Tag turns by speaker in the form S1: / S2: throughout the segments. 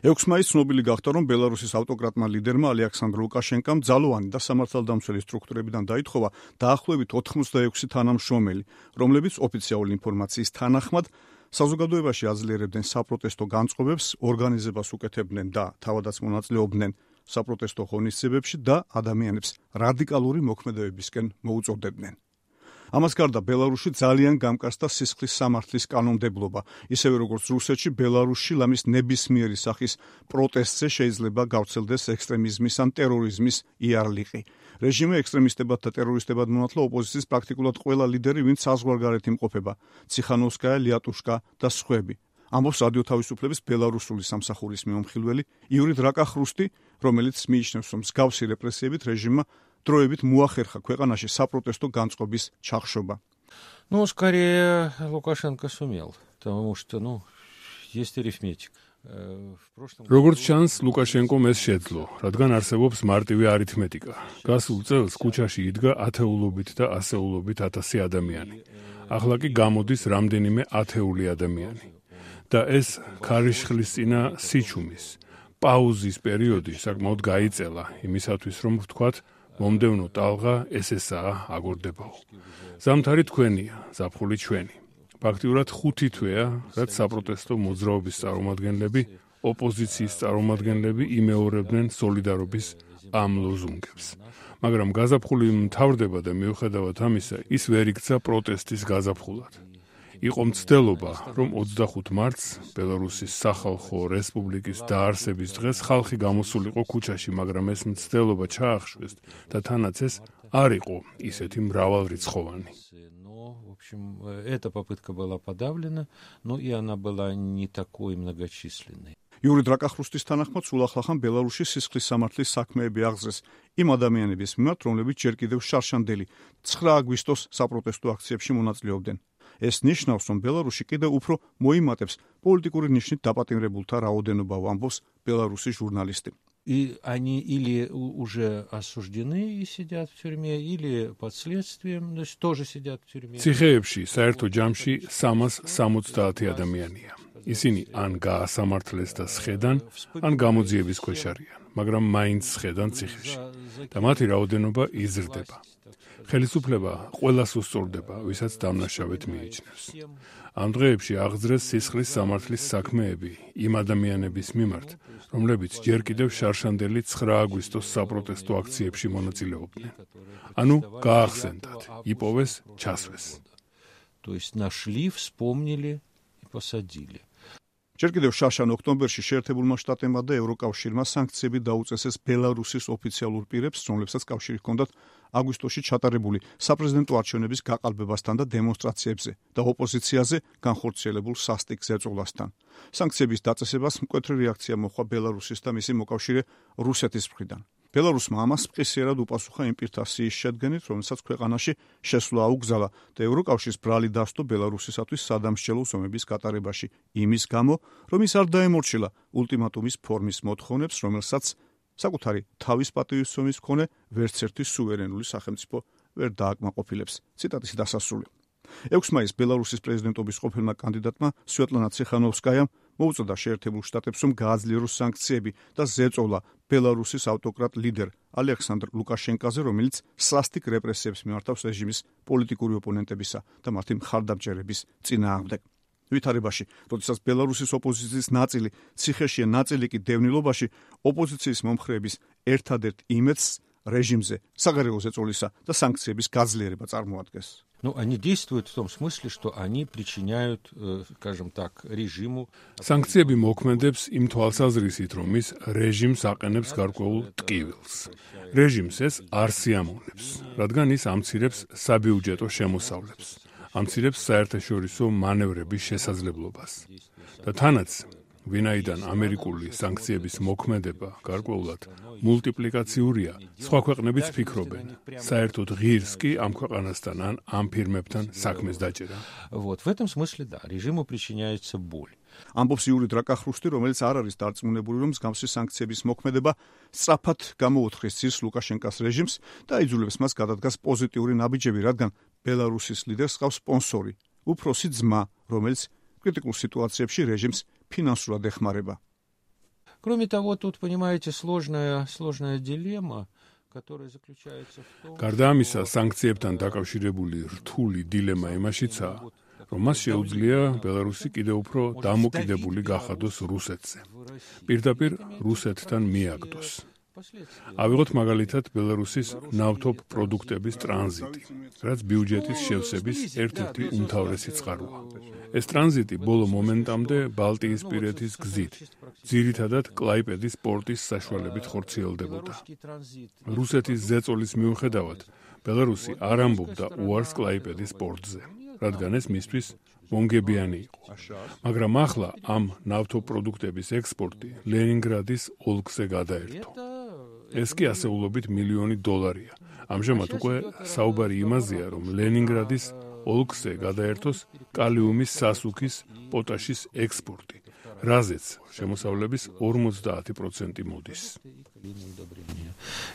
S1: 6 მაისს ცნობილი გახდა, რომ ბელარუსის ავტოკრატმა ლიდერმა ალექსანდრ ლუკაშენკამ ძალოვანი და სამართალდამცველი სტრუქტურებიდან დაითხოვა დაახლოებით 86 თანამშრომელი, რომლებიც ოფიციალური ინფორმაციის თანახმად საზოგადოებაში აძლიერებდნენ საპროტესტო განწყობებს, ორგანიზებას უკეთებდნენ და თავადაც მონაწილეობდნენ საპროტესტო ღონისძიებებში და ადამიანებს რადიკალური მოქმედებებისკენ მოუწოდებდნენ. ამას გარდა ბელარუსში ძალიან გამკარსდა სისხლის სამართლის კანონმდებლობა, ისევე როგორც რუსეთში, ბელარუსში ლამის ნებისმიერი სახის პროტესტზე შეიძლება გავრცელდეს ექსტრემიზმის ან ტერორიზმის იარლიყი. რეჟიმი ექსტრემისტებად და ტერორისტებად მონათლა ოპოზიციის პრაქტიკულად ყველა ლიდერი, ვინც საზღვარგარეთ იმყოფება, ციხანოვსკაია, ლიატუშკა და სხვები. ამბობს რადიო თავისუფლების ბელარუსული სამსახურის მიმოხილველი იური დრაკახრუსტი, რომელიც მიიჩნევს, რომ მსგავსი რეპრესიებით რეჟიმმა დროებით მოახერხა ქვეყანაში საპროტესტო განწყობის ჩახშობა.
S2: Скорее Лукашенко сумел, потому что, есть арифметика.
S3: როგორც ჩანს, ლუკაშენკომ ეს შეძლო, რადგან არსებობს მარტივი არითმეტიკა. გასულ წელს ქუჩაში იდგა ათეულობით და ასეულობით ათასი ადამიანი. ახლა კი გამოდის რამდენიმე ათეული ადამიანი. და ეს ქარიშხლისწინა სიჩუმის, პაუზის პერიოდი საკმაოდ გაიწელა იმისათვის, რომ ვთქვათ, მომდევნო ტალღა ესაა აგორდებაო. ზამთარი თქვენია, ზაფხული ჩვენი. ფაქტიურად 5 თვეა, რაც საპროტესტო მოძრაობის წარმომადგენლები, ოპოზიციის წარმომადგენლები იმეორებდნენ სოლიდარობის ამ ლოზუნგებს. მაგრამ გაზაფხული მთავრდება და მიუხედავად ამისა, ის ვერ იქცა პროტესტის გაზაფხულად. იყო მცდელობა, რომ 25 მარტს ბელარუსის სახალხო რესპუბლიკის დაარსების დღეს ხალხი გამოსულიყო ქუჩაში, მაგრამ ეს მცდელობა ჩაახშვეს და თანაც ეს არ იყო ისეთი მრავალრიცხოვანი.
S2: В общем, эта попытка была подавлена, но и она была не такой многочисленной.
S1: იური დრაკახრუსტის თანახმად, სულ ახლახან ბელარუსში სისხლის სამართლის საქმეები აღზრეს იმ ადამიანების მიმართ, რომლებიც ჯერ კიდევ შარშანდელი 9 აგვისტოს საპროტესტო აქციებში მონაწილეობდნენ. ეს ნიშნავს, რომ ბელარუსში კიდევ უფრო მოიმატებს პოლიტიკური ნიშნით დაპატიმრებულთა რაოდენობა, ამბობს ბელარუსის ჟურნალისტი.
S2: И они или уже осуждены и сидят в тюрьме, или под следствием, то есть тоже сидят в тюрьме.
S3: ციხეებში საერთო ჯამში 370 ადამიანია. ისინი ან გაასამართლეს და სხედან, ან გამოძიების ქვეშ არიან, მაგრამ მაინც სხედან ციხეში და მათი რაოდენობა იზრდება. ხელისუფლება ყველას უსწორდება, ვისაც დამნაშავედ მიიჩნევს. ამ დღეებში აღძრეს სისხლის სამართლის საქმეები იმ ადამიანების მიმართ, რომლებიც ჯერ კიდევ შარშანდელი 9 აგვისტოს საპროტესტო აქციებში მონაწილეობდნენ. ანუ გაახსენდათ, იპოვეს, ჩასვეს.
S2: То есть нашли, вспомнили и посадили.
S1: ჯერ კიდევ შარშან ოქტომბერში შეერთებულმა შტატებმა და ევროკავშირმა სანქციები დაუწესეს ბელარუსის ოფიციალურ პირებს, რომლებსაც კავშირი ჰქონდათ აგვისტოში ჩატარებული საპრეზიდენტო არჩევნების გაყალბებასთან და დემონსტრაციებზე და ოპოზიციაზე განხორციელებულ სასტიკ ზეწოლასთან. სანქციების დაწესებას მკვეთრი რეაქცია მოჰყვა ბელარუსის და მისი მოკავშირე რუსეთის მხრიდან. ბელარუსმა ამას მყისიერად უპასუხა იმ პირთა სიის შედგენით, რომელსაც ქვეყანაში შესვლა აუგზალა და ევროკავშირის ბრალი დასდო ბელარუსისათვის სადამსჯელო ზომების გატარებაში იმის გამო, რომ ის არ დაემორჩილა ულტიმატუმის ფორმის მოთხოვნებს, რომელსაც საკუთარი თავის პატივისცემის მქონე ვერც ერთი სუვერენული სახელმწიფო ვერ დააკმაყოფილებს. ციტატის დასასრული. 6 მაისს ბელარუსის პრეზიდენტობის ყოფილმა კანდიდატმა სვეტლანა ციხანოვსკაიამ მოუწოდა შეერთებულ შტატებს, რომ გააძლიეროს სანქციები და ზეწოლა ბელარუსის ავტოკრატ ლიდერ ალექსანდრ ლუკაშენკაზე, რომელიც სასტიკ რეპრესიებს მიმართავს რეჟიმის პოლიტიკური ოპონენტებისა და მათი მხარდამჭერების წინააღმდეგ. ვითარებაში, როდესაც ბელარუსის ოპოზიციის ნაწილი ციხეში, ნაწილი კი დევნილობაში, ოპოზიციის მომხრეების ერთადერთ იმედს რეჟიმზე საგარეო ზეწოლისა და სანქციების გაძლიერება წარმოადგენს.
S2: Они действуют в том смысле, что они причиняют, скажем так, режиму.
S3: Санкციები მოქმედებს იმ თვალსაზრისით, რომ ის რეჟიმს აყენებს გარკვეულ ტკივილს. რეჟიმს ეს არ სიამოვნებს, რადგან ის ამცირებს საბიუჯეტო შემოსავლებს, ამცირებს საერთაშორისო მანევრების შესაძლებლობას. და თანაც ვინაიდან ამერიკული სანქციების მოქმედება გარკვეულად მულტიპლიკაციურია, სხვა ქვეყნებიც ფიქრობენ, საერთოდ ღირს კი ამ ქვეყანასთან ან ამ ფირმებთან საქმეს დაჭერა.
S2: Вот в этом смысле да, режиму причиняется боль.
S1: ამბობს იური დრაკახრუსტი, რომელიც არ არის დარწმუნებული, რომ მსგავსი სანქციების მოქმედება სწრაფად გამოუთხრის ძირს ლუკაშენკას რეჟიმს და აიძულებს მას გადადგას პოზიტიური ნაბიჯები, რადგან ბელარუსის ლიდერს ჰყავს სპონსორი, უფროსი ძმა, რომელიც კრიტიკულ სიტუაციებში რეჟიმს ფინანსურად ეხმარება.
S2: Кроме того, тут, понимаете, сложная дилемма, которая заключается в том,
S3: გარდა ამისა, სანქციებთან დაკავშირებული რთული დილემა იმაშიცაა, რომ მას შეუძლია ბელარუსი კიდევ უფრო დამოკიდებული გახადოს რუსეთზე. პირდაპირ რუსეთთან მიაგდოს. ავიღოთ მაგალითად ბელარუსის ნავთობ პროდუქტების ტრანზიტი, რაც ბიუჯეტის შევსების ერთ-ერთი უმთავრესი წყაროა. ეს ტრანზიტი ბოლო მომენტამდე ბალტიისპირეთის გზით, ძირითადად კლაიპედის პორტის საშუალებით ხორციელდებოდა. რუსეთის ზეწოლის მიუხედავად, ბელარუსი არ ამბობდა უარს კლაიპედის პორტზე, რადგან ეს მისთვის მონგებიანი იყო. მაგრამ ახლა ამ ნავთობპროდუქტების ექსპორტი ლენინგრადის ოლქზე გადაერთო. ეს კი ასეულობით $1,000,000. ამჟამად უკვე საუბარი იმაზეა, რომ ლენინგრადის ოლქზე გადაერთოს კალიუმის სასუქის პოტაშის ექსპორტი, რაზეც შემოსავლების 50% მოდის.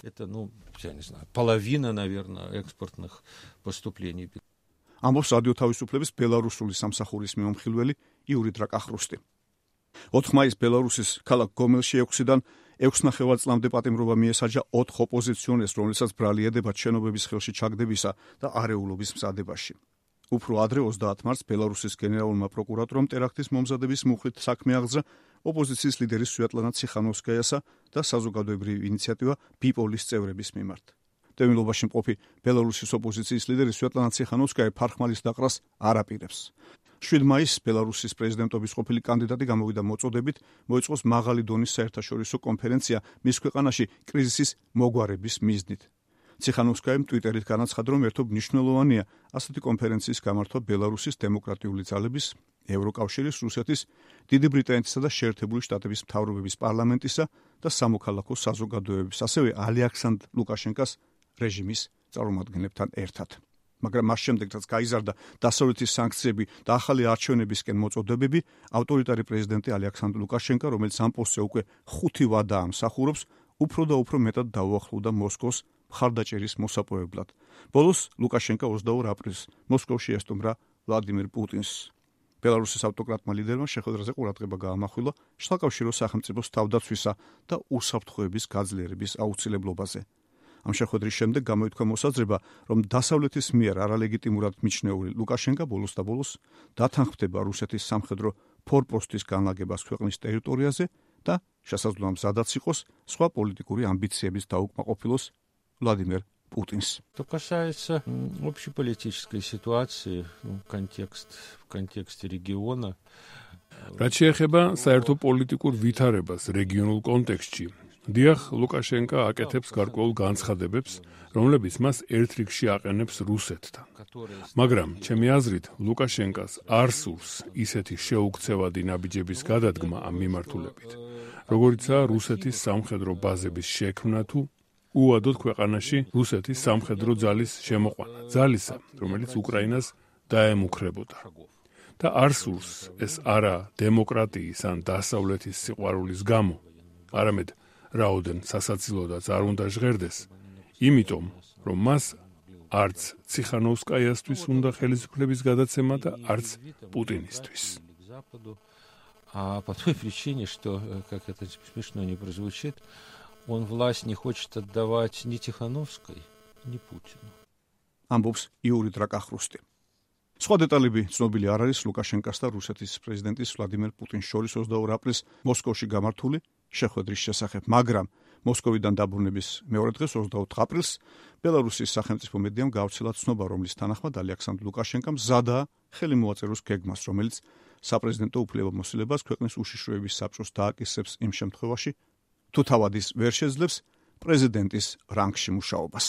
S2: Это, я не знаю, половина, наверное, экспортных поступлений.
S1: ამბობს რადიო თავისუფლების ბელარუსული სამსახურის მიმომხილველი იური დრაკახრუსტი. 4 მაისს ბელარუსის ქალაქ გომელში 6-დან 6.5 წლამდე პატიმრობა მიესაჯა 4 ოპოზიციონერს, რომლებსაც ბრალი ედებათ შენობების ხელში ჩაგდებისა და არეულობის მზადებაში. უფრო ადრე 30 მარტს ბელარუსის გენერალურმა პროკურატურამ ტერაქტის მომზადების მუხლით საქმე აღძრა ოპოზიციის ლიდერის სვიატლანა ციხანოვსკაიასა და საზოგადოებრივი ინიციატივა ბიპოლის წევრების მიმართ. დევნილობაში მყოფი ბელარუსის ოპოზიციის ლიდერი სვიატლანა ციხანოვსკაია ფარხმალის დაყრას არ აპირებს. 7 მაისს ბელარუსის პრეზიდენტობის ყოფილი კანდიდატი გამოვიდა მოწოდებით, მოეწყოს მაღალი დონის საერთაშორისო კონფერენცია მის ქვეყანაში კრიზისის მოგვარების მიზნით. ციხანოვსკაიამ ტვიტერით განაცხადა, რომ ერთობ მნიშვნელოვანია ასეთი კონფერენციის გამართვა ბელარუსის დემოკრატიული ძალების, ევროკავშირის, რუსეთის, დიდი ბრიტანეთისა და შეერთებული შტატების მთავრობების პარლამენტისა და სამოქალაქო საზოგადოებების, ასევე ალექსანდრ ლუკაშენკას რეჟიმის წარმომადგენლებთან ერთად. მაგრამ მას შემდეგ, რაც გაიზარდა დასავლეთის სანქციები და ახალი არჩევნებისკენ მოწოდებები, ავტორიტარი პრეზიდენტი ალექსანდრ ლუკაშენკა, რომელიც ამ პოსტზე უკვე 5 ვადა ამსახურებს, უფრო და უფრო მეტად დაუახლოვდა მოსკოვს მხარდაჭერის მოსაპოვებლად. ბოლოს ლუკაშენკა 22 აპრილს მოსკოვში ესტუმრა ვლადიმირ პუტინს. ბელარუსის ავტოკრატმა ლიდერმა შეხვედრაზე ყურადღება გაამახვილა შთაკავშირო სახელმწიფოს თავდაცვისა და უსაფრთხოების გაძლიერების აუცილებლობაზე. ამ შეხვედრის შემდეგ გამოითქვა მოსაზრება, რომ დასავლეთის მიერ არალეგიტიმურად მიჩნეული ლუკაშენკა ბოლოს და ბოლოს დათანხმდება რუსეთის სამხედრო ფორპოსტის განლაგებას ქვეყნის ტერიტორიაზე და შესაძლოა მზადაც იყოს სხვა პოლიტიკური ამბიციების დაუკმაყოფილოს ვლადიმერ პუტინს.
S2: Что касается общеполитической ситуации, в контексте региона,
S3: რაც შეეხება საერთო პოლიტიკურ ვითარებას რეგიონულ კონტექსტში, დიახ, ლუკაშენკა აკეთებს გარკვეულ განცხადებებს, რომლებიც მას ერთ რიგში აყენებს რუსეთთან. მაგრამ, ჩემი აზრით, ლუკაშენკას არ სურს ისეთი შეუქცევადი ნაბიჯების გადადგმა ამ მიმართულებით, როგორიცაა რუსეთის სამხედრო ბაზების შექმნა თუ უადოდ ქვეყანაში რუსეთის სამხედრო ძალის შემოყვანა, ძალისა, რომელიც უკრაინას დაემუქრებოდა. და არ სურს ეს არა დემოკრატიის ან დასავლეთის სიყვარულის გამო, არამედ რაოდენ სასაცილოდაც არ უნდა ჟღერდეს, იმიტომ, რომ მას არც ციხანოვსკაიასთვის უნდა ხელისუფლების გადაცემა და არც პუტინისთვის.
S2: А по той причине, что, как это смешно не прозвучит, он власть не хочет отдавать ни Тихановской, ни Путину.
S1: ამბობს იური დრაკახრუსტი. სხვა დეტალები ცნობილი არ არის ლუკაშენკას და რუსეთის პრეზიდენტის ვლადიმერ პუტინს შორის 22 აპრილს მოსკოვში გამართული შეხვედრის შესახებ, მაგრამ მოსკოვიდან დაბრუნების მეორე დღეს 24 აპრილს ბელარუსის სახელმწიფო მედიამ გავრცელა ცნობა, რომლის თანახმად ალექსანდრ ლუკაშენკამ მზადაა ხელი მოაწეროს გეგმას, რომელიც საპრეზიდენტო უფლებამოსილებას ქვეყნის უშიშროების საბჭოს დააკისრებს იმ შემთხვევაში, თუ თავად ის ვერ შეძლებს პრეზიდენტის რანგში მუშაობას.